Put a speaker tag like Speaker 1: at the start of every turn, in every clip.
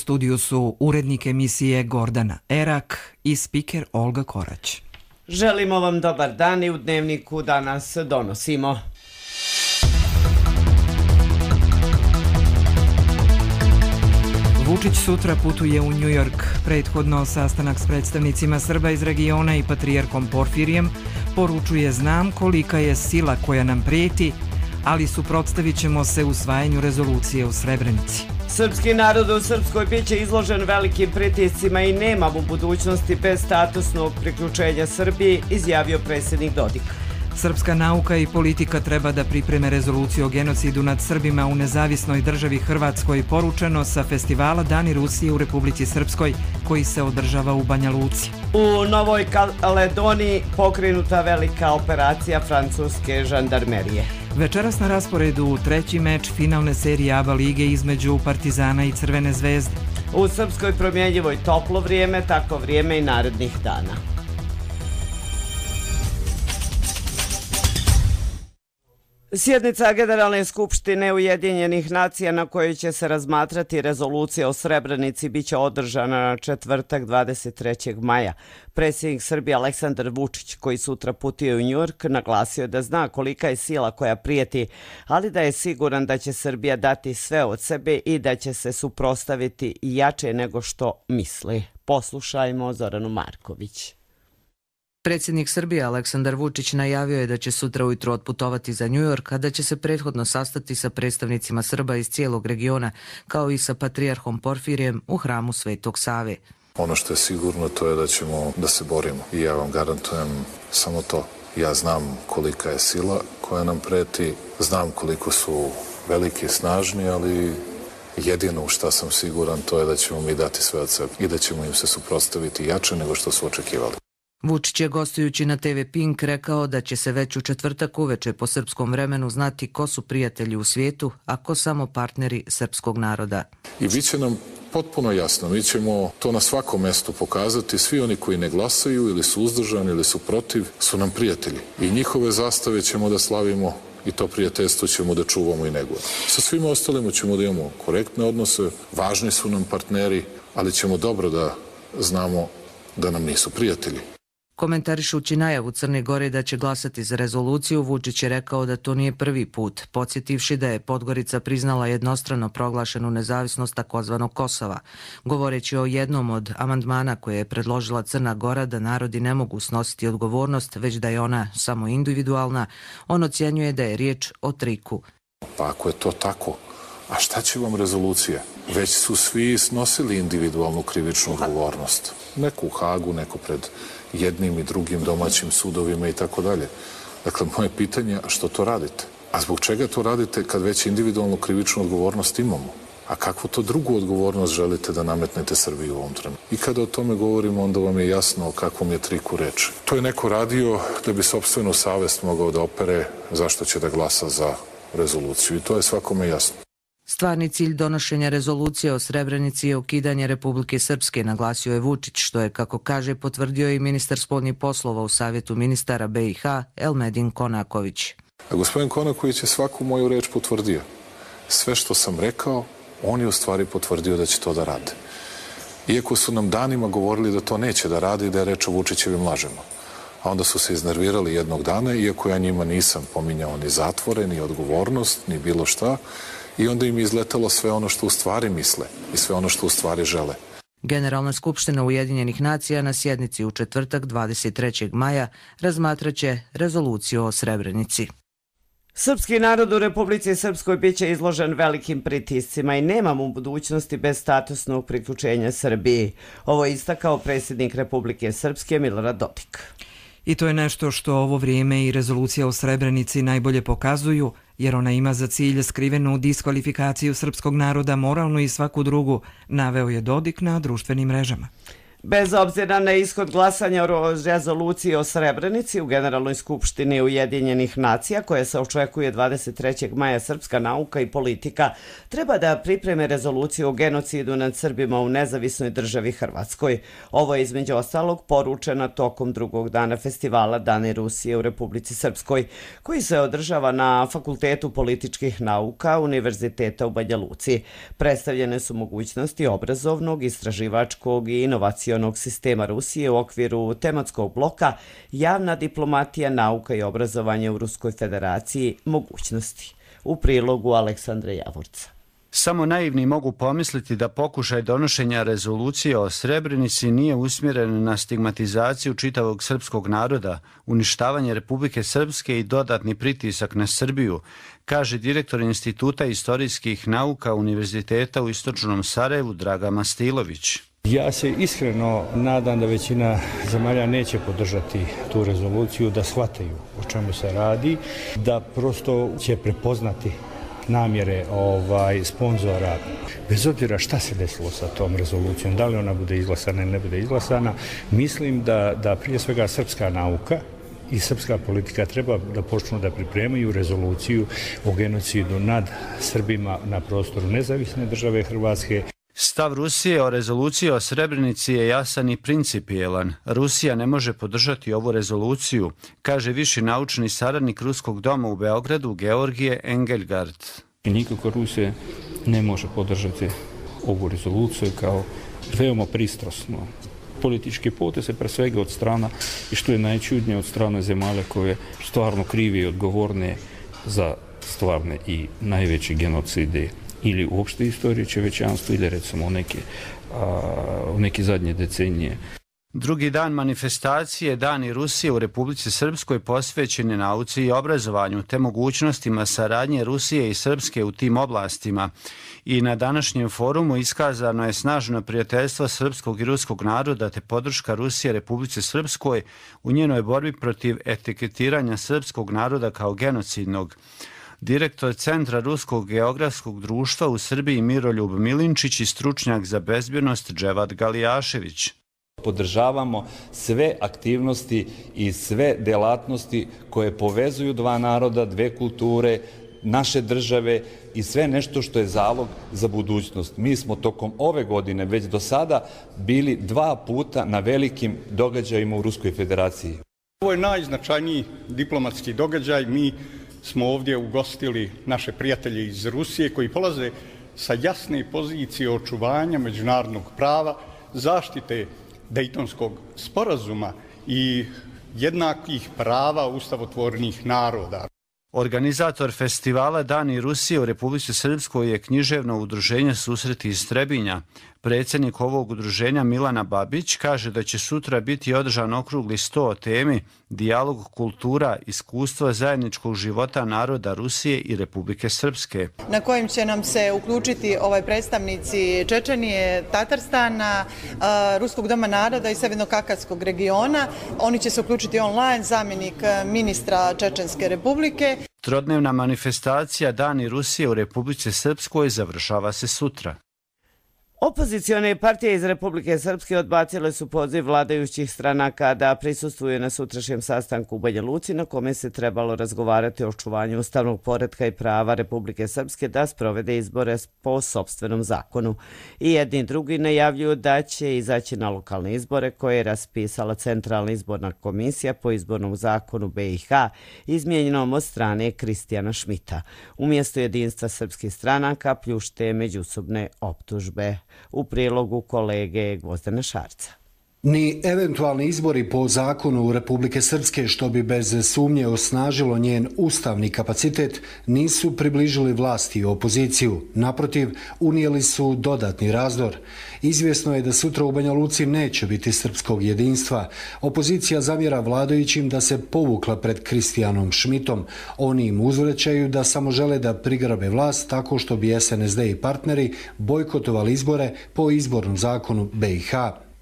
Speaker 1: studiju su urednik emisije Gordana Erak i spiker Olga Korać.
Speaker 2: Želimo vam dobar dan i u Dnevniku danas donosimo.
Speaker 1: Vučić sutra putuje u New York. Prethodno sastanak s predstavnicima Srba iz regiona i patrijarhom Porfirijem poručuje: znam kolika je sila koja nam prijeti, ali suprotstavit ćemo se usvajanju rezolucije u Srebrenici.
Speaker 2: Srpski narod u Srpskoj biće izložen velikim pritiscima i nema mu budućnosti bez statusnog priključenja Srbiji, izjavio predsjednik Dodik.
Speaker 1: Srpska nauka i politika treba da pripreme rezoluciju o genocidu nad Srbima u nezavisnoj državi Hrvatskoj, poručeno sa festivala Dani Rusije u Republici Srpskoj koji se održava u Banja Luci.
Speaker 2: U Novoj Kaledoniji pokrenuta velika operacija francuske žandarmerije.
Speaker 1: Večeras na rasporedu treći meč finalne serije ABA lige između Partizana i Crvene zvezde.
Speaker 2: U Srpskoj promjenjivoj toplo vrijeme, tako vrijeme i narednih dana. Sjednica Generalne skupštine Ujedinjenih nacija na kojoj će se razmatrati rezolucija o Srebrenici biće održana na četvrtak 23. maja. Predsjednik Srbije Aleksandar Vučić, koji sutra putuje u New York, naglasio je da zna kolika je sila koja prijeti, ali da je siguran da će Srbija dati sve od sebe i da će se suprotstaviti jače nego što misli. Poslušajmo Zoranu Marković.
Speaker 3: Predsjednik Srbije Aleksandar Vučić najavio je da će sutra ujutro otputovati za New York, a da će se prethodno sastati sa predstavnicima Srba iz cijelog regiona, kao i sa patrijarhom Porfirijem u hramu Svetog Save.
Speaker 4: Ono što je sigurno to je da ćemo da se borimo i ja vam garantujem samo to. Ja znam kolika je sila koja nam preti, znam koliko su veliki i snažni, ali jedino u šta sam siguran to je da ćemo mi dati sve od sebe i da ćemo im se suprotstaviti jače nego što su očekivali.
Speaker 3: Vučić je gostujući na TV Pink rekao da će se već u četvrtak uveče po srpskom vremenu znati ko su prijatelji u svijetu, a ko samo partneri srpskog naroda.
Speaker 4: I bit će nam potpuno jasno, mi ćemo to na svakom mjestu pokazati, svi oni koji ne glasaju ili su uzdržani ili su protiv su nam prijatelji i njihove zastave ćemo da slavimo i to prijateljstvo ćemo da čuvamo i negujemo. Sa svima ostalima ćemo da imamo korektne odnose, važni su nam partneri, ali ćemo dobro da znamo da nam nisu prijatelji.
Speaker 3: Komentarišući najavu Crne Gore da će glasati za rezoluciju, Vučić je rekao da to nije prvi put, podsjetivši da je Podgorica priznala jednostrano proglašenu nezavisnost takozvanog Kosova. Govoreći o jednom od amandmana koje je predložila Crna Gora da narodi ne mogu snositi odgovornost, već da je ona samo individualna, on ocjenjuje da je riječ o triku.
Speaker 4: Pa ako je to tako, a šta će vam rezolucija? Već su svi snosili individualnu krivičnu odgovornost. Neko u Hagu, neko pred jednim i drugim domaćim sudovima i tako dalje. Dakle, moje pitanje je što to radite? A zbog čega to radite kad već individualnu krivičnu odgovornost imamo? A kakvu to drugu odgovornost želite da nametnete Srbiji u ovom trenutku? I kada o tome govorimo, onda vam je jasno o kakvom je triku reč. To je neko radio da bi sopstvenu savest mogao da opere zašto će da glasa za rezoluciju. I to je svakome jasno.
Speaker 3: Stvarni cilj donošenja rezolucije o Srebrenici je ukidanje Republike Srpske, naglasio je Vučić, što je, kako kaže, potvrdio i ministar spoljnih poslova u Savjetu ministara BiH Elmedin Konaković.
Speaker 4: A gospodin Konaković je svaku moju reč potvrdio. Sve što sam rekao, on je u stvari potvrdio da će to da rade. Iako su nam danima govorili da to neće da rade i da je reč o Vučićevim lažima. A onda su se iznervirali jednog dana, iako ja njima nisam pominjao ni zatvore, ni odgovornost, ni bilo šta, i onda im je izletalo sve ono što u stvari misle i sve ono što u stvari žele.
Speaker 3: Generalna skupština Ujedinjenih nacija na sjednici u četvrtak 23. maja razmatraće rezoluciju o Srebrenici.
Speaker 2: Srpski narod u Republici Srpskoj biće izložen velikim pritiscima i nema mu budućnosti bez statusnog priključenja Srbiji. Ovo je istakao predsjednik Republike Srpske Milorad Dodik.
Speaker 1: I to je nešto što ovo vrijeme i rezolucija o Srebrenici najbolje pokazuju, jer ona ima za cilj skrivenu diskvalifikaciju srpskog naroda, moralnu i svaku drugu, naveo je Dodik na društvenim mrežama.
Speaker 2: Bez obzira na ishod glasanja o rezoluciji o Srebrenici u Generalnoj skupštini Ujedinjenih nacija, koja se očekuje 23. maja, Srpska nauka i politika treba da pripreme rezoluciju o genocidu nad Srbima u nezavisnoj državi Hrvatskoj. Ovo je između ostalog poručeno tokom drugog dana festivala Dani Rusije u Republici Srpskoj, koji se održava na Fakultetu političkih nauka Univerziteta u Banja Luci. Predstavljene su mogućnosti obrazovnog, istraživačkog i inovacionog sistema Rusije u okviru tematskog bloka Javna diplomatija, nauka i obrazovanje u Ruskoj federaciji, mogućnosti. U prilogu Aleksandra Javorca.
Speaker 5: Samo naivni mogu pomisliti da pokušaj donošenja rezolucije o Srebrenici nije usmjeren na stigmatizaciju čitavog srpskog naroda, uništavanje Republike Srpske i dodatni pritisak na Srbiju, kaže direktor Instituta istorijskih nauka Univerziteta u Istočnom Sarajevu Draga Mastilović.
Speaker 6: Ja se iskreno nadam da većina zemalja neće podržati tu rezoluciju, da shvataju o čemu se radi, da prosto će prepoznati namjere sponzora. Bez obzira šta se desilo sa tom rezolucijom, da li ona bude izglasana ili ne bude izglasana, mislim da prije svega srpska nauka i srpska politika treba da počnu da pripremaju rezoluciju o genocidu nad Srbima na prostoru nezavisne države Hrvatske.
Speaker 5: Stav Rusije o rezoluciji o Srebrenici je jasan i principijelan. Rusija ne može podržati ovu rezoluciju, kaže viši naučni saradnik Ruskog doma u Beogradu Georgije Engelgard.
Speaker 6: Nikako Rusija ne može podržati ovu rezoluciju kao veoma pristrasno politički poteze, pre svega od strana, i što je najčudnije, od strane zemalja koje stvarno krivi i odgovorne za stvarne i najveće genocide ili uopšte istorije čovječanstva ili recimo u neke zadnje decenije.
Speaker 5: Drugi dan manifestacije Dani Rusije u Republici Srpskoj posvećen je nauci i obrazovanju te mogućnostima saradnje Rusije i Srpske u tim oblastima. I na današnjem forumu iskazano je snažno prijateljstvo srpskog i ruskog naroda te podrška Rusije Republici Srpskoj u njenoj borbi protiv etiketiranja srpskog naroda kao genocidnog. Direktor Centra Ruskog geografskog društva u Srbiji Miroljub Milinčić i stručnjak za bezbjednost Dževad Galijašević.
Speaker 7: Podržavamo sve aktivnosti i sve delatnosti koje povezuju dva naroda, dve kulture, naše države i sve nešto što je zalog za budućnost. Mi smo tokom ove godine već do sada bili 2 puta na velikim događajima u Ruskoj federaciji.
Speaker 8: Ovo je najznačajniji diplomatski događaj. Mi smo ovdje ugostili naše prijatelje iz Rusije koji polaze sa jasne pozicije očuvanja međunarodnog prava, zaštite Dejtonskog sporazuma i jednakih prava ustavotvornih naroda.
Speaker 5: Organizator festivala Dani Rusije u Republici Srpskoj je književno udruženje Susreti iz Trebinja. Predsjednik ovog udruženja Milana Babić kaže da će sutra biti održan okrugli sto o temi dijalog kultura, iskustva zajedničkog života naroda Rusije i Republike Srpske.
Speaker 9: Na kojim će nam se uključiti predstavnici Čečenije, Tatarstana, Ruskog doma naroda i Severno-Kakavskog regiona. Oni će se uključiti online, zamjenik ministra Čečenske republike.
Speaker 5: Trodnevna manifestacija Dani Rusije u Republici Srpskoj završava se sutra.
Speaker 2: Opozicione partije iz Republike Srpske odbacile su poziv vladajućih stranaka da prisustvuju na sutrašnjem sastanku u Banja Luci, na kome se trebalo razgovarati o očuvanju ustavnog poretka i prava Republike Srpske da sprovede izbore po sopstvenom zakonu. I jedni i drugi najavljuju da će izaći na lokalne izbore koje je raspisala Centralna izborna komisija po izbornom zakonu BiH, izmijenjenom od strane Kristijana Šmita. Umjesto jedinstva srpskih stranaka pljušte međusobne optužbe. U prilogu kolege Gvozdana Šarca.
Speaker 10: Ni eventualni izbori po zakonu Republike Srpske, što bi bez sumnje osnažilo njen ustavni kapacitet, nisu približili vlasti i opoziciju. Naprotiv, unijeli su dodatni razdor. Izvjesno je da sutra u Banja Luci neće biti srpskog jedinstva. Opozicija zamjera vladajućim da se povukla pred Kristijanom Šmitom. Oni im uzvraćaju da samo žele da prigrabe vlast tako što bi SNSD i partneri bojkotovali izbore po izbornom zakonu BiH.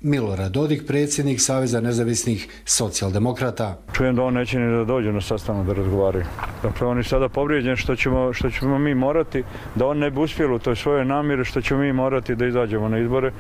Speaker 10: Milorad Dodik, predsjednik Saveza nezavisnih socijaldemokrata.
Speaker 6: Čujem da on neće ni da dođe na sastanak da razgovaraju. Dakle, on je sada povrijeđen što ćemo mi morati, da on ne bi uspjelo u toj svojoj namjeri, što ćemo mi morati da izađemo na izbore.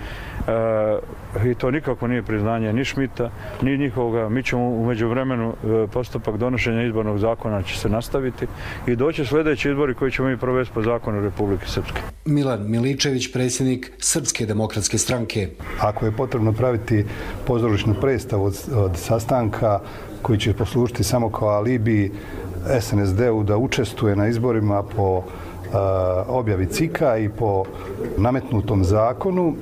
Speaker 6: I to nikako nije priznanje ni Šmita, ni njihovoga. Mi ćemo u međuvremenu postupak donošenja izbornog zakona će se nastaviti i doći sljedeći izbori koji ćemo mi provesti po zakonu Republike Srpske.
Speaker 10: Milan Miličević, predsjednik Srpske demokratske stranke.
Speaker 11: Ako je potrebno praviti pozorišnu predstavu od sastanka koji će poslužiti samo kao alibi SNSD-u da učestvuje na izborima po objavi CIK-a i po nametnutom zakonu,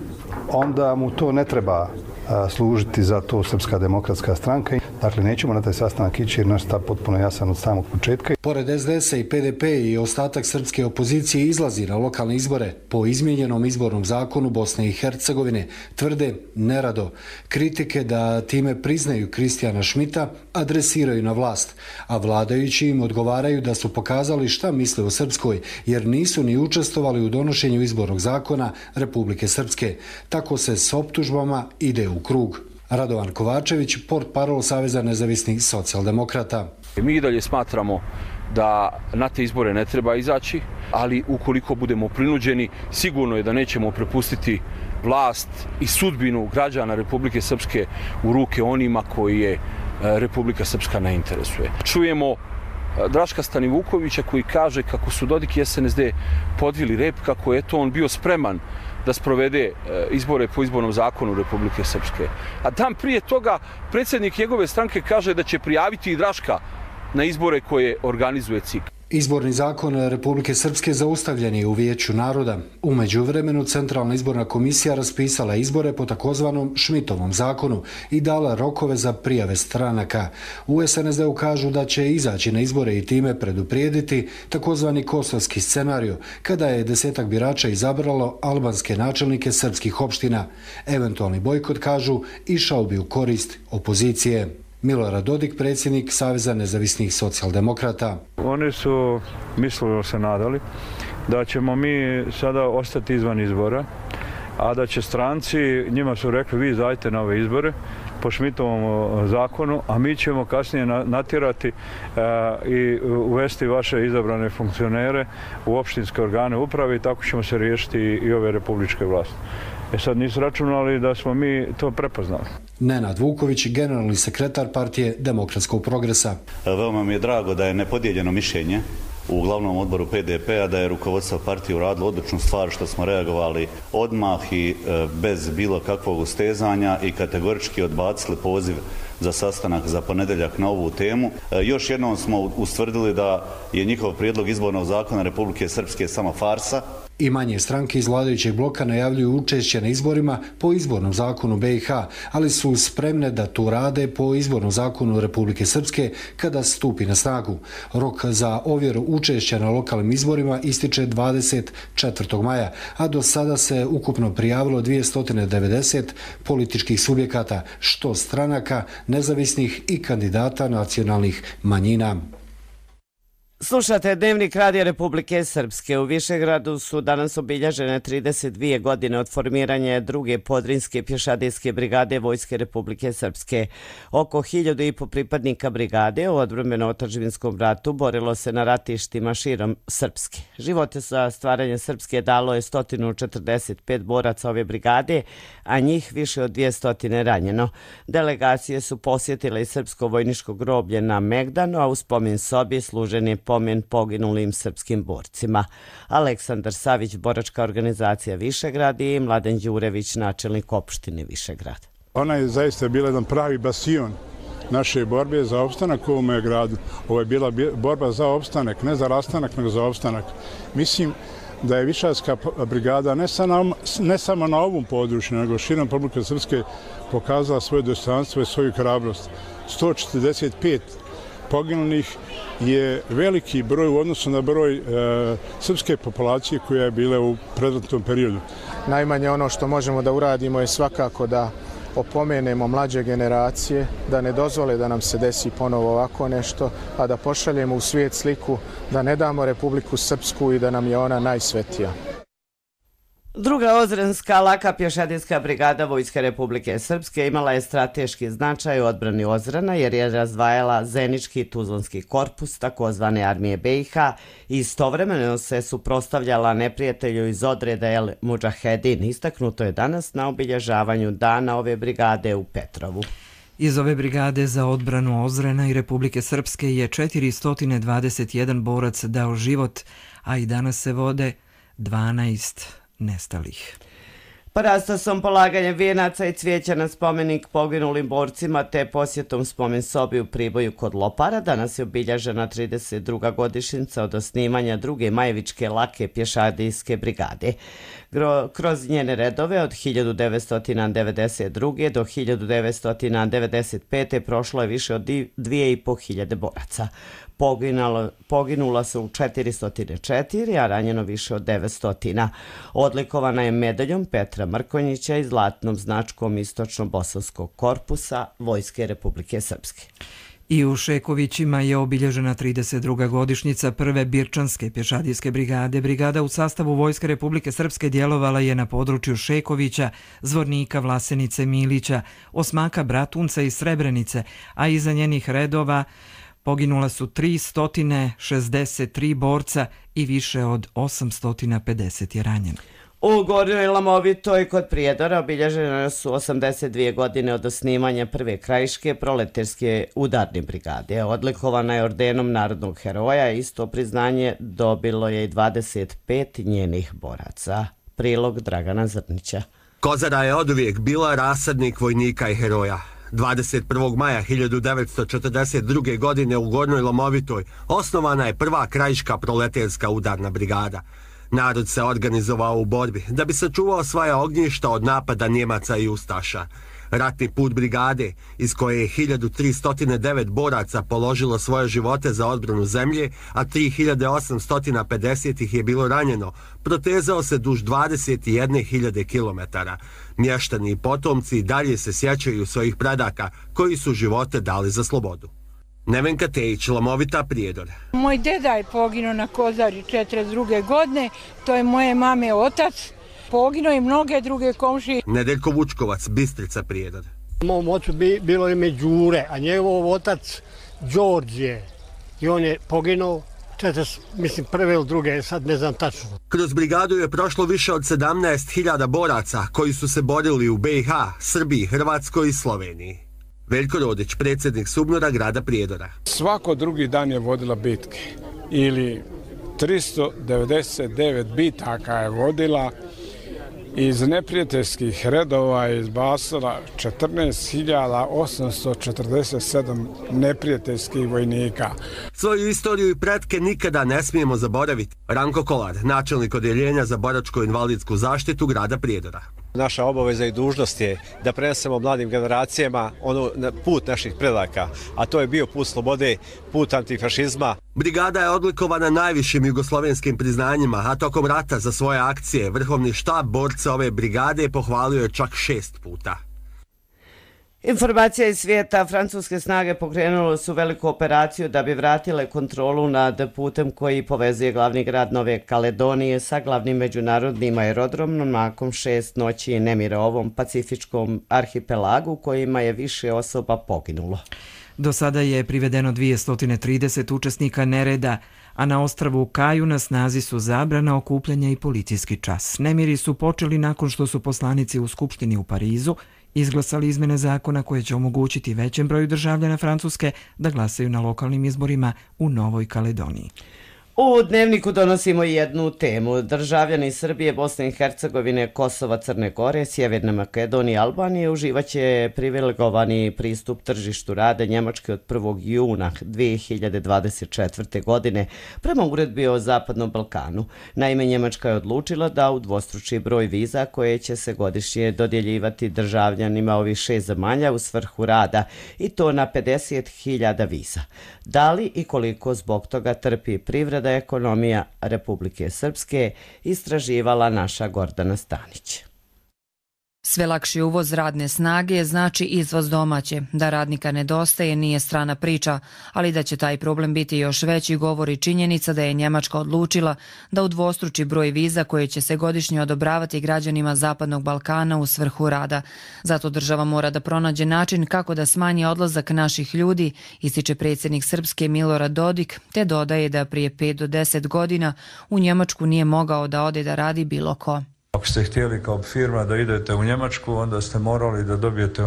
Speaker 11: onda mu to ne treba služiti za to Srpska demokratska stranka. Dakle, nećemo na taj sastanak ići jer naš stav potpuno jasan od samog početka.
Speaker 10: Pored SDS-a i PDP i ostatak srpske opozicije izlazi na lokalne izbore po izmijenjenom izbornom zakonu Bosne i Hercegovine, tvrde nerado. Kritike da time priznaju Kristijana Šmita adresiraju na vlast, a vladajući im odgovaraju da su pokazali šta misle o Srpskoj jer nisu ni učestvovali u donošenju izbornog zakona Republike Srpske. Tako se s optužbama ide u krug. Radovan Kovačević, portparol Saveza nezavisnih socijaldemokrata.
Speaker 12: Mi i dalje smatramo da na te izbore ne treba izaći, ali ukoliko budemo prinuđeni, sigurno je da nećemo prepustiti vlast i sudbinu građana Republike Srpske u ruke onima koji je Republika Srpska ne interesuje. Čujemo Draška Stanivukovića koji kaže kako su Dodik i SNSD podvili rep, kako je to on bio spreman da sprovede izbore po izbornom zakonu Republike Srpske. A dan prije toga predsjednik njegove stranke kaže da će prijaviti i Draška na izbore koje organizuje CIK.
Speaker 10: Izborni zakon Republike Srpske zaustavljen je u Vijeću naroda. U međuvremenu Centralna izborna komisija raspisala izbore po takozvanom Šmitovom zakonu i dala rokove za prijave stranaka. U SNSD-u kažu da će izaći na izbore i time preduprijediti takozvani kosovski scenariju, kada je 10 birača izabralo albanske načelnike srpskih opština. Eventualni bojkot, kažu, išao bi u korist opozicije. Milorad Dodik, predsjednik Saveza nezavisnih socijaldemokrata.
Speaker 6: Oni su, mislimo se nadali, da ćemo mi sada ostati izvan izbora, a da će stranci, njima su rekli vi izađite na ove izbore po Šmitovom zakonu, a mi ćemo kasnije natjerati i uvesti vaše izabrane funkcionere u opštinske organe uprave i tako ćemo se riješiti i ove republičke vlasti. Sad nisu računali da smo mi to prepoznali.
Speaker 10: Nenad Vuković, generalni sekretar partije Demokratskog progresa.
Speaker 13: Veoma mi je drago da je nepodijeljeno mišljenje u glavnom odboru PDP-a, da je rukovodstvo partije uradilo odličnu stvar što smo reagovali odmah i bez bilo kakvog ustezanja i kategorički odbacili poziv za sastanak za ponedjeljak na ovu temu. Još jednom smo ustvrdili da je njihov prijedlog izbornog zakona Republike Srpske samo farsa.
Speaker 10: I manje stranke iz vladajućeg bloka najavljuju učešće na izborima po izbornom zakonu BiH, ali su spremne da to rade po izbornom zakonu Republike Srpske kada stupi na snagu. Rok za ovjeru učešća na lokalnim izborima ističe 24. maja, a do sada se ukupno prijavilo 290 političkih subjekata, što stranaka, nezavisnih i kandidata nacionalnih manjina.
Speaker 2: Slušate Dnevnik Radija Republike Srpske. U Višegradu su danas obilježene 32 godine od formiranja druge podrinske pješadijske brigade Vojske Republike Srpske. Oko 1500 pripadnika brigade u odbrambeno-otadžbinskom ratu borilo se na ratištima širom Srpske. Živote za stvaranje Srpske dalo je 145 boraca ove brigade, a njih više od 200 ranjeno. Delegacije su posjetile i srpsko vojničko groblje na Megdanu, a u spomen sobi služen je pomen poginulim srpskim borcima. Aleksandar Savić, boračka organizacija Višegrad i Mladen Đurević, načelnik opštine Višegrad.
Speaker 14: Ona je zaista bila jedan pravi bastion naše borbe za opstanak u ovome gradu. Ovo je bila borba za opstanak, ne za rastanak, nego za opstanak. Mislim da je Višadska brigada ne samo na ovom području, nego širom Republike Srpske pokazala svoje dostojanstvo i svoju hrabrost. 145 poginulih je veliki broj u odnosu na broj srpske populacije koja je bila u predratnom periodu.
Speaker 15: Najmanje ono što možemo da uradimo je svakako da opomenemo mlađe generacije, da ne dozvole da nam se desi ponovo ovako nešto, a da pošaljemo u svijet sliku da ne damo Republiku Srpsku i da nam je ona najsvetija.
Speaker 2: Druga ozrenska laka pješadijska brigada Vojske Republike Srpske imala je strateški značaj u odbrani Ozrena jer je razdvajala Zenički Tuzlanski korpus takozvane armije BiH i istovremeno se suprotstavljala neprijatelju iz odreda El Mudžahedin. Istaknuto je danas na obilježavanju dana ove brigade u Petrovu.
Speaker 1: Iz ove brigade za odbranu Ozrena i Republike Srpske je 421 borac dao život, a i danas se vode 12 nestalih.
Speaker 2: Parastosom, polaganjem vijenaca i cvijeća na spomenik poginulim borcima te posjetom spomen sobi u Priboju kod Lopara danas je obilježena 32. godišnjica od osnivanja druge Majevičke lake pješadijske brigade. Kroz njene redove od 1992. do 1995. prošlo je više od 2500 boraca. Poginula su 404, a ranjeno više od 900. Odlikovana je medaljom Petra Mrkonjića i zlatnom značkom Istočno-Bosanskog korpusa Vojske Republike Srpske.
Speaker 1: I u Šekovićima je obilježena 32. godišnjica prve Birčanske pješadijske brigade. Brigada u sastavu Vojske Republike Srpske djelovala je na području Šekovića, Zvornika, Vlasenice, Milića, Osmaka, Bratunca i Srebrenice, a iza njenih redova poginula su 363 borca i više od 850 je ranjeno.
Speaker 2: U Gornjoj Lamovitoj kod Prijedora obilježene su 82 godine od osnivanja prve krajiške proleterske udarne brigade. Odlikovana je ordenom narodnog heroja, isto priznanje dobilo je i 25 njenih boraca. Prilog Dragana Zrnića.
Speaker 16: Kozara je oduvijek bila rasadnik vojnika i heroja. 21. maja 1942. godine u Gornjoj Lomovitoj osnovana je prva krajiška proleterska udarna brigada. Narod se organizovao u borbi da bi sačuvao svoja ognjišta od napada Njemaca i Ustaša. Ratni put brigade, iz koje je 1309 boraca položilo svoje živote za odbranu zemlje, a 3850 ih je bilo ranjeno, protezao se duž 21.000 kilometara. Mještani i potomci dalje se sjećaju svojih predaka koji su živote dali za slobodu. Nevenka Tejić, Lomovita, Prijedor.
Speaker 17: Moj deda je poginuo na Kozari 42. godine, to je moje mame otac. Poginuo i mnoge druge komšije.
Speaker 16: Nedeljko Vučkovac, Bistrica, Prijedor.
Speaker 18: Mom ocu bilo ime Đure, a njegov otac Đorđe. I on je poginuo, prve ili druge, sad ne znam tačno.
Speaker 16: Kroz brigadu je prošlo više od 17.000 boraca koji su se borili u BiH, Srbiji, Hrvatskoj i Sloveniji. Veljko Rodić, predsjednik SUBNOR-a grada Prijedora.
Speaker 19: Svako drugi dan je vodila bitke ili 399 bitaka je vodila. Iz neprijateljskih redova je izbacila 14.847 neprijateljskih vojnika.
Speaker 16: Svoju istoriju i pretke nikada ne smijemo zaboraviti. Ranko Kolar, načelnik odjeljenja za boračko-invalidsku zaštitu grada Prijedora.
Speaker 20: Naša obaveza i dužnost je da prenesemo mladim generacijama put naših predaka, a to je bio put slobode, put antifašizma.
Speaker 16: Brigada je odlikovana najvišim jugoslovenskim priznanjima, a tokom rata za svoje akcije vrhovni štab borca ove brigade pohvalio je čak 6 puta.
Speaker 2: Informacija iz svijeta, francuske snage pokrenule su veliku operaciju da bi vratile kontrolu nad putem koji povezuje glavni grad Nove Kaledonije sa glavnim međunarodnim aerodromom nakon 6 noći nemira ovom pacifičkom arhipelagu kojima je više osoba poginulo.
Speaker 1: Do sada je privedeno 230 učesnika nereda, a na ostrvu Kaju na snazi su zabrana okupljanja i policijski čas. Nemiri su počeli nakon što su poslanici u Skupštini u Parizu izglasali izmene zakona koje će omogućiti većem broju državljana Francuske da glasaju na lokalnim izborima u Novoj Kaledoniji.
Speaker 2: U Dnevniku donosimo jednu temu. Državljani Srbije, Bosne i Hercegovine, Kosova, Crne Gore, Sjeverne Makedonije i Albanije uživaće privilegovani pristup tržištu rada Njemačke od 1. juna 2024. godine prema uredbi o Zapadnom Balkanu. Naime, Njemačka je odlučila da udvostruči broj viza koje će se godišnje dodjeljivati državljanima ovih 6 zemalja u svrhu rada i to na 50.000 viza. Da li i koliko zbog toga trpi privreda ekonomija Republike Srpske, istraživala naša Gordana Stanić.
Speaker 21: Sve lakši uvoz radne snage znači izvoz domaće. Da radnika nedostaje nije strana priča, ali da će taj problem biti još veći govori činjenica da je Njemačka odlučila da udvostruči broj viza koje će se godišnje odobravati građanima Zapadnog Balkana u svrhu rada. Zato država mora da pronađe način kako da smanji odlazak naših ljudi, ističe predsjednik Srpske Milorad Dodik, te dodaje da prije 5 do 10 godina u Njemačku nije mogao da ode da radi bilo ko.
Speaker 22: Ako ste htjeli kao firma da idete u Njemačku, onda ste morali da dobijete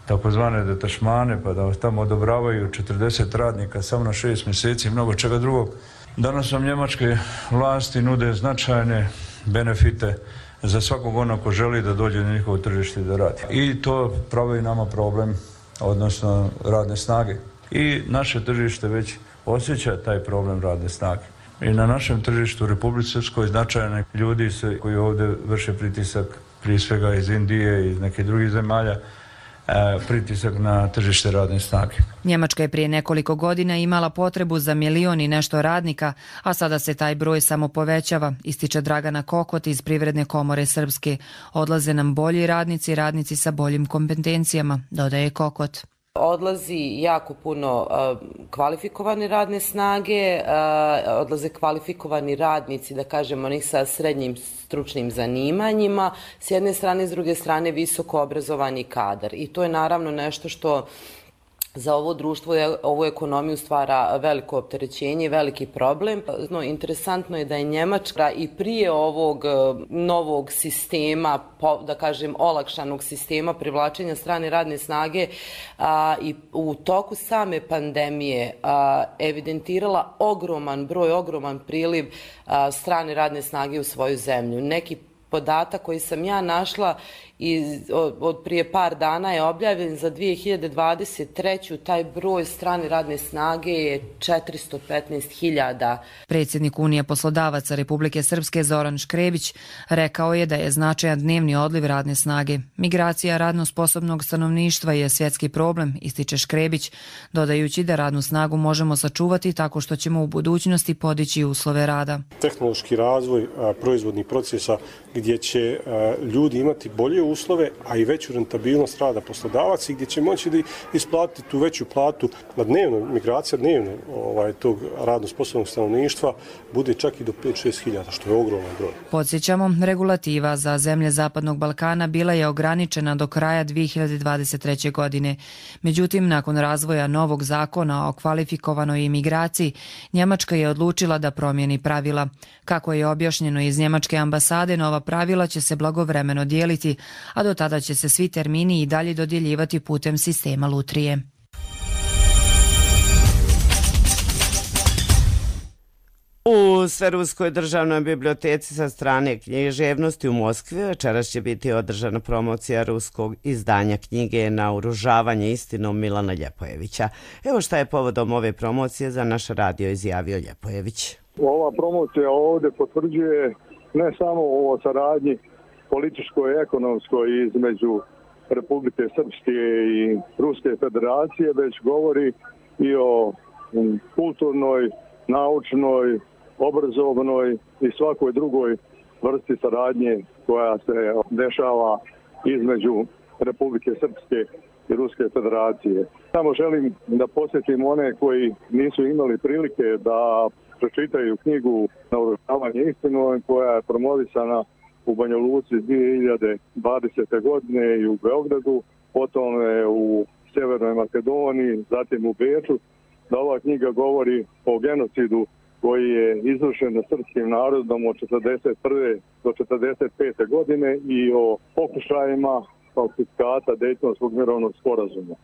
Speaker 22: takozvane detašmane, pa da vas tamo odobravaju 40 radnika samo na 6 mjeseci i mnogo čega drugog. Danas vam njemačke vlasti nude značajne benefite za svakog onog ko želi da dođe na njihovo tržište da radi. I to pravi nama problem, odnosno radne snage. I naše tržište već osjeća taj problem radne snage. I na našem tržištu u Republici Srpskoj značajni ljudi koji ovdje vrše pritisak, prije svega iz Indije i iz nekih drugih zemalja, pritisak na tržište radne snage.
Speaker 21: Njemačka je prije nekoliko godina imala potrebu za 1 milion i nešto radnika, a sada se taj broj samo povećava, ističe Dragana Kokot iz Privredne komore Srpske. Odlaze nam bolji radnici sa boljim kompetencijama, dodaje Kokot.
Speaker 23: Odlazi jako puno kvalifikovane radne snage, odlaze kvalifikovani radnici, da kažemo, onih sa srednjim stručnim zanimanjima, s jedne strane, s druge strane visoko obrazovani kadar. I to je naravno nešto što za ovo društvo, ovu ekonomiju stvara veliko opterećenje i veliki problem. Interesantno je da je Njemačka i prije ovog novog sistema, da kažem olakšanog sistema privlačenja strane radne snage i u toku same pandemije evidentirala ogroman priliv strane radne snage u svoju zemlju. Neki podatak koji sam ja našla od prije par dana je objavljen za 2023. Taj broj strane radne snage je 415.000.
Speaker 21: Predsjednik Unije poslodavaca Republike Srpske Zoran Škrebić rekao je da je značajan dnevni odliv radne snage. Migracija radno sposobnog stanovništva je svjetski problem, ističe Škrebić, dodajući da radnu snagu možemo sačuvati tako što ćemo u budućnosti podići uslove rada.
Speaker 24: Tehnološki razvoj proizvodnih procesa gdje će ljudi imati bolje uslove, a i veću rentabilnost rada poslodavaca i gdje će moći da isplatiti tu veću platu na dnevno, migracija dnevno tog radno sposobnog stanovništva bude čak i do 5-6 hiljada, što je ogroman broj.
Speaker 21: Podsjećamo, regulativa za zemlje Zapadnog Balkana bila je ograničena do kraja 2023. godine. Međutim, nakon razvoja novog zakona o kvalifikovanoj imigraciji, Njemačka je odlučila da promijeni pravila. Kako je objašnjeno iz Njemačke ambasade, nova pravila će se blagovremeno dijeliti, a do tada će se svi termini i dalje dodjeljivati putem sistema lutrije.
Speaker 2: U Sveruskoj državnoj biblioteci sa strane književnosti u Moskvi večeras će biti održana promocija ruskog izdanja knjige Naoružavanje istinom Milana Ljepojevića. Evo šta je povodom ove promocije za naš radio izjavio Ljepojević.
Speaker 25: Ova promocija ovdje potvrđuje ne samo o saradnji političkoj i ekonomskoj između Republike Srpske i Ruske federacije, već govori i o kulturnoj, naučnoj, obrazovnoj i svakoj drugoj vrsti saradnje koja se dešava između Republike Srpske i Ruske federacije. Samo želim da posjetim one koji nisu imali prilike da pročitaju knjigu Naoružavanje istinom koja je promovisana u Banja Luci 2020. godine i u Beogradu, potom je u Sjevernoj Makedoniji, zatim u Beču, da ova knjiga govori o genocidu koji je izvršen nad srpskim narodom od 1941. do 1945. godine i o pokušajima falsifikata Dejtonskog mirovnog sporazuma.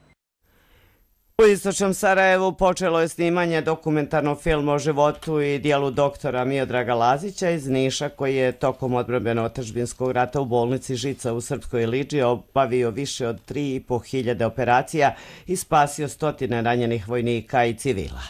Speaker 2: U istočnom Sarajevu počelo je snimanje dokumentarnog filma o životu i dijelu doktora Miodraga Lazića iz Niša, koji je tokom odbrambeno-otadžbinskog rata u bolnici Žica u Srpskoj Liđi obavio više od 3.500 operacija i spasio stotine ranjenih vojnika i civila.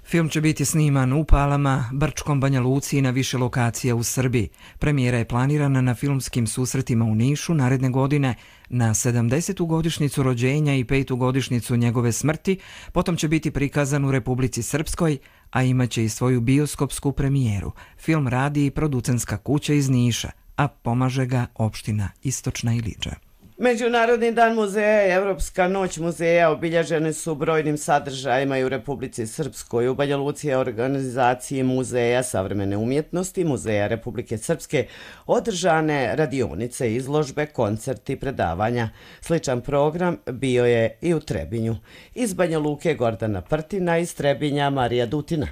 Speaker 1: Film će biti sniman u Palama, Brčkom, Banja Luci i na više lokacija u Srbiji. Premijera je planirana na filmskim susretima u Nišu naredne godine na 70. godišnjicu rođenja i 5. godišnjicu njegove smrti, potom će biti prikazan u Republici Srpskoj, a imaće i svoju bioskopsku premijeru. Film radi i producentska kuća iz Niša, a pomaže ga opština Istočna Iliđa.
Speaker 2: Međunarodni dan muzeja i Evropska noć muzeja obilježeni su brojnim sadržajima i u Republici Srpskoj. U Banja Luci je organizaciji Muzeja savremene umjetnosti, Muzeja Republike Srpske održane radionice, izložbe, koncerti, predavanja. Sličan program bio je i u Trebinju. Iz Banja Luke Gordana Prtina, iz Trebinja Marija Dutina.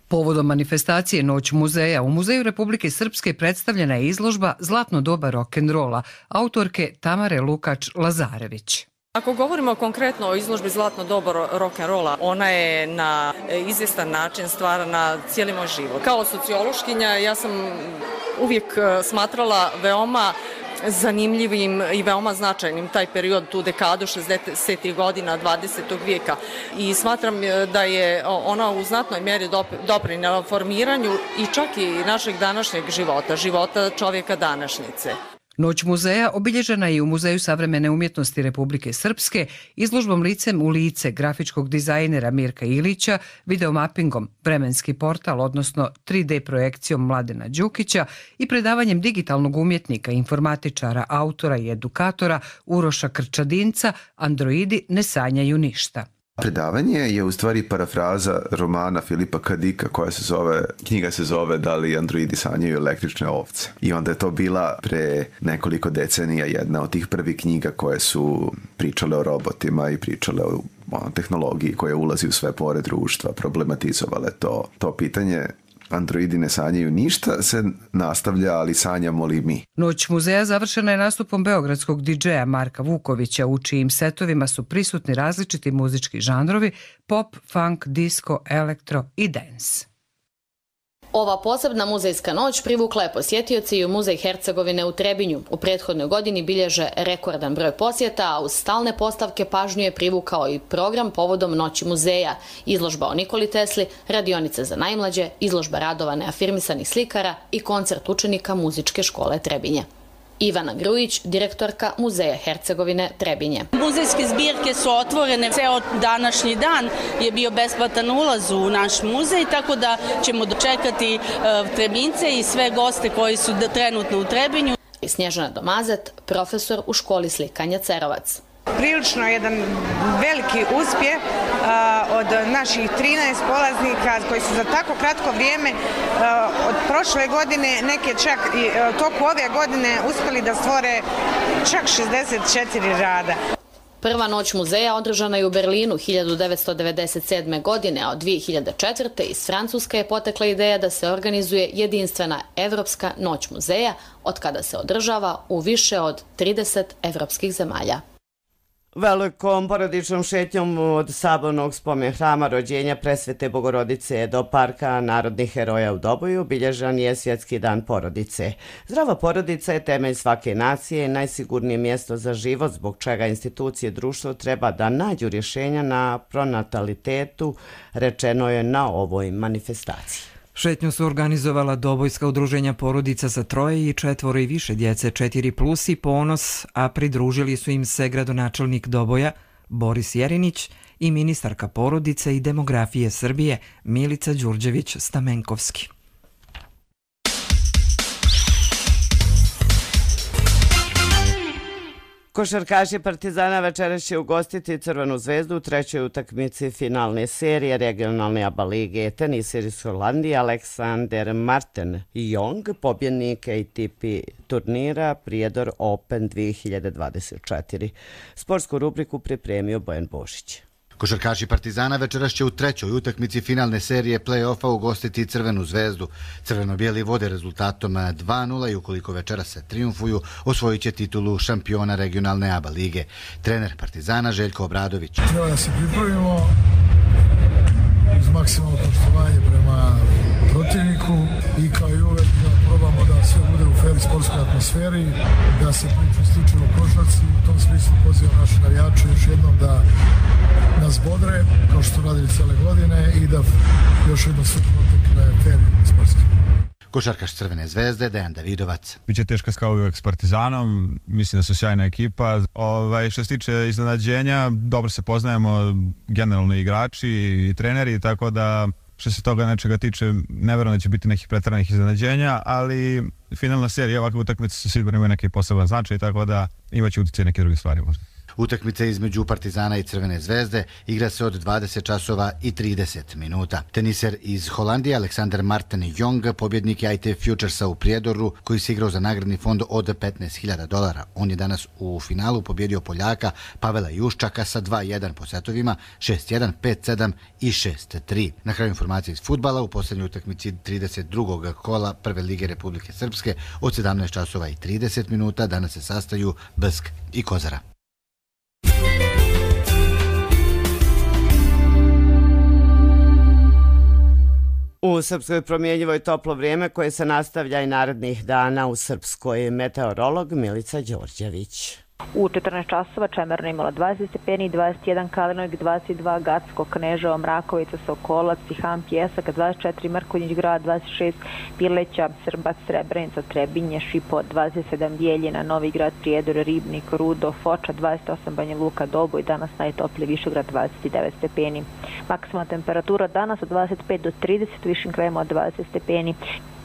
Speaker 3: Povodom manifestacije Noć muzeja u Muzeju Republike Srpske predstavljena je izložba Zlatno doba rock'n'rolla autorke Tamare Lukač-Lazarević.
Speaker 4: Ako govorimo konkretno o izložbi Zlatno doba rock'n'rolla, ona je na izvjestan način stvarana cijeli moj život. Kao sociološkinja ja sam uvijek smatrala veoma zanimljivim i veoma značajnim taj period, tu dekadu 60. godina 20. vijeka i smatram da je ona u znatnoj mjeri doprinela formiranju i čak i našeg današnjeg života čovjeka današnjice.
Speaker 3: Noć muzeja obilježena je u Muzeju savremene umjetnosti Republike Srpske izložbom Licem u lice grafičkog dizajnera Mirka Ilića, videomapingom Vremenski portal, odnosno 3D projekcijom Mladena Đukića i predavanjem digitalnog umjetnika, informatičara, autora i edukatora Uroša Krčadinca Androidi ne sanjaju ništa.
Speaker 7: Predavanje je u stvari parafraza romana Filipa K. Dicka knjiga se zove Da li androidi sanjaju električne ovce. I onda je to bila pre nekoliko decenija jedna od tih prvih knjiga koje su pričale o robotima i pričale o tehnologiji koja ulazi u sve pore društva, problematizovale to pitanje. Androidi ne sanjaju ništa, se nastavlja, ali sanjamo li mi?
Speaker 3: Noć muzeja završena je nastupom beogradskog DJ-a Marka Vukovića, u čijim setovima su prisutni različiti muzički žanrovi, pop, funk, disco, elektro i dance.
Speaker 8: Ova posebna muzejska noć privukla je posjetioci i u Muzej Hercegovine u Trebinju. U prethodnoj godini bilježe rekordan broj posjeta, a uz stalne postavke pažnju je privukao i program povodom Noći muzeja, izložba o Nikoli Tesli, radionice za najmlađe, izložba radova neafirmisanih slikara i koncert učenika Muzičke škole Trebinje. Ivana Grujić, direktorka Muzeja Hercegovine Trebinje.
Speaker 9: Muzejske zbirke su otvorene, ceo današnji dan je bio besplatan ulaz u naš muzej, tako da ćemo dočekati Trebince i sve goste koji su trenutno u Trebinju.
Speaker 8: Snježana Domazet, profesor u školi slikanja Cerovac.
Speaker 26: Prilično jedan veliki uspjeh od naših 13 polaznika koji su za tako kratko vrijeme od prošle godine, neke čak i toku ove godine uspjeli da stvore čak 64 rada.
Speaker 8: Prva noć muzeja održana je u Berlinu 1997. godine, a od 2004. iz Francuske je potekla ideja da se organizuje jedinstvena Evropska noć muzeja, od kada se održava u više od 30 evropskih zemalja.
Speaker 2: Velikom porodičnom šetnjom od Sabornog spomen hrama rođenja Presvete Bogorodice do Parka narodnih heroja u Doboju obilježan je Svjetski dan porodice. Zdrava porodica je temelj svake nacije i najsigurnije mjesto za život, zbog čega institucije društva treba da nađu rješenja na pronatalitetu, rečeno je na ovoj manifestaciji.
Speaker 1: Šetnju su organizovala Dobojska udruženja porodica sa 3 i 4 i više djece, 4+ i Ponos, a pridružili su im se gradonačelnik Doboja Boris Jerinić i ministarka porodice i demografije Srbije Milica Đurđević-Stamenkovski.
Speaker 2: Košarkaši Partizana večeras će ugostiti Crvenu zvezdu u trećoj utakmici finalne serije regionalne ABA lige. Tenisir iz Holandije Aleksander Martin Jong, pobjednik ATP turnira Prijedor Open 2024. Sportsku rubriku pripremio Bojan Božić.
Speaker 27: Košarkaši Partizana večeras će u trećoj utakmici finalne serije play-offa ugostiti Crvenu zvezdu. Crveno-bijeli vode rezultatom 2:0 i ukoliko večeras se triumfuju, osvojit će titulu šampiona regionalne ABA lige. Trener Partizana Željko Obradović.
Speaker 28: Treba da se pripravimo uz maksimalno poštovanje prema protivniku i kao i uvek da probamo da sve bude u fer sportskoj atmosferi, da se priča isključivo košarci. U tom smislu pozivam naše navijače još jednom da nas bodre, kao što radili cele godine, i da još jednom sve protekne fer sportski.
Speaker 27: Košarkaš Crvene zvezde Dejan Davidovac.
Speaker 29: Biće teška kao uvijek s Partizanom, mislim da su sjajna ekipa. Što se tiče iznenađenja, dobro se poznajemo, generalno igrači i treneri, tako da Što se toga nečega tiče, ne verujem da će biti nekih preteranih iznenađenja, ali finalna serija ovakve utakmice su sigurno imaju neki poseban značaj, tako da imaće utjecaj neke druge stvari možda.
Speaker 27: Utakmica između Partizana i Crvene zvezde igra se od 20 časova i 30 minuta. Teniser iz Holandije Alexander Martin Jong pobjednik je ITF Futuresa u Prijedoru koji se igrao za nagradni fond od $15.000. On je danas u finalu pobjedio Poljaka Pavela Juščaka sa 2-1 po setovima, 6-1, 5-7 i 6-3. Na kraju informacije iz fudbala u posljednjoj utakmici 32. kola Prve lige Republike Srpske od 17 časova i 30 minuta danas se sastaju Bsk i Kozara.
Speaker 2: U Srpskoj promjenjivoj toplo vrijeme koje se nastavlja i narednih dana u Srpskoj. Meteorolog Milica Đorđević.
Speaker 5: U 14 časova Čemerna imala 20 stepeni, 21 Kalinog, 22 Gacko, Kneževo, Mrakovica, Sokolac, Tiham, Pjesak, 24 Mrkonjić grad, 26 Pileća, Srbac, Srebrenica, Trebinje, Šipo, 27 Bijeljina, Novi grad, Prijedor, Ribnik, Rudo, Foča, 28 Banja Luka, Doboj, danas najtopliji Višegrad, 29 stepeni. Maksimalna temperatura danas od 25 do 30, u višim krajevima od 20 stepeni.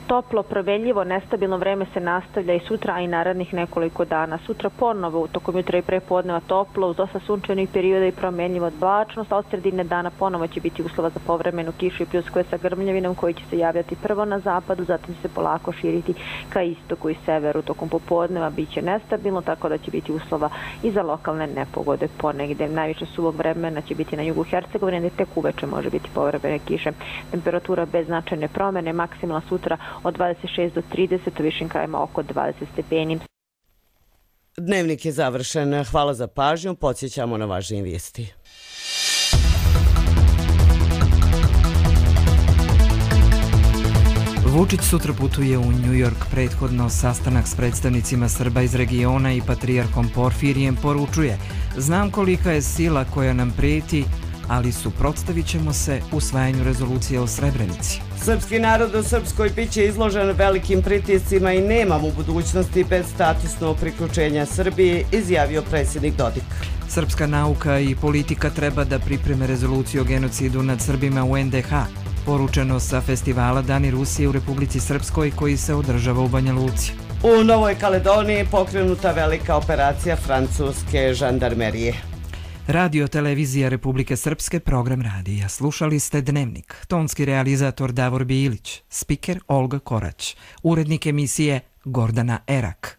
Speaker 5: Toplo, proveljivo, nestabilno vreme se nastavlja i sutra, a i narednih nekoliko dana. Sutra ponovo, tokom jutra i prepodneva toplo, uz dosta sunčanih perioda i promenljivo oblačnost, a od sredine dana ponovo će biti uslova za povremenu kišu i pljuskove sa grmljavinom koji će se javljati prvo na zapadu, zatim se polako širiti ka istoku i severu. Tokom popodneva bit će nestabilno, tako da će biti uslova i za lokalne nepogode ponegde. Najviše suvog vremena će biti na jugu Hercegovine, gde tek uveče može biti povremene kiše. Temperatura bez značajne promene, maksimalna sutra od 26 do 30, u višim krajima oko 20 stepeni.
Speaker 2: Dnevnik je završen. Hvala za pažnju. Podsjećamo na važnije vijesti.
Speaker 1: Vučić sutra putuje u New York. Prethodno sastanak s predstavnicima Srba iz regiona i patrijarhom Porfirijem poručuje: znam kolika je sila koja nam preti, ali suprotstavit ćemo se usvajanju rezolucije o Srebrenici.
Speaker 2: Srpski narod u Srpskoj biće izložen velikim pritiscima i nemamo u budućnosti bez statusnog priključenja Srbiji, izjavio predsjednik Dodik.
Speaker 1: Srpska nauka i politika treba da pripreme rezoluciju o genocidu nad Srbima u NDH, poručeno sa festivala Dani Rusije u Republici Srpskoj koji se održava u Banja Luci.
Speaker 2: U Novoj Kaledoniji pokrenuta velika operacija francuske žandarmerije.
Speaker 1: Radio televizija Republike Srpske, program radija. Slušali ste Dnevnik. Tonski realizator Davor Bilić, spiker Olga Korać, urednik emisije Gordana Erak.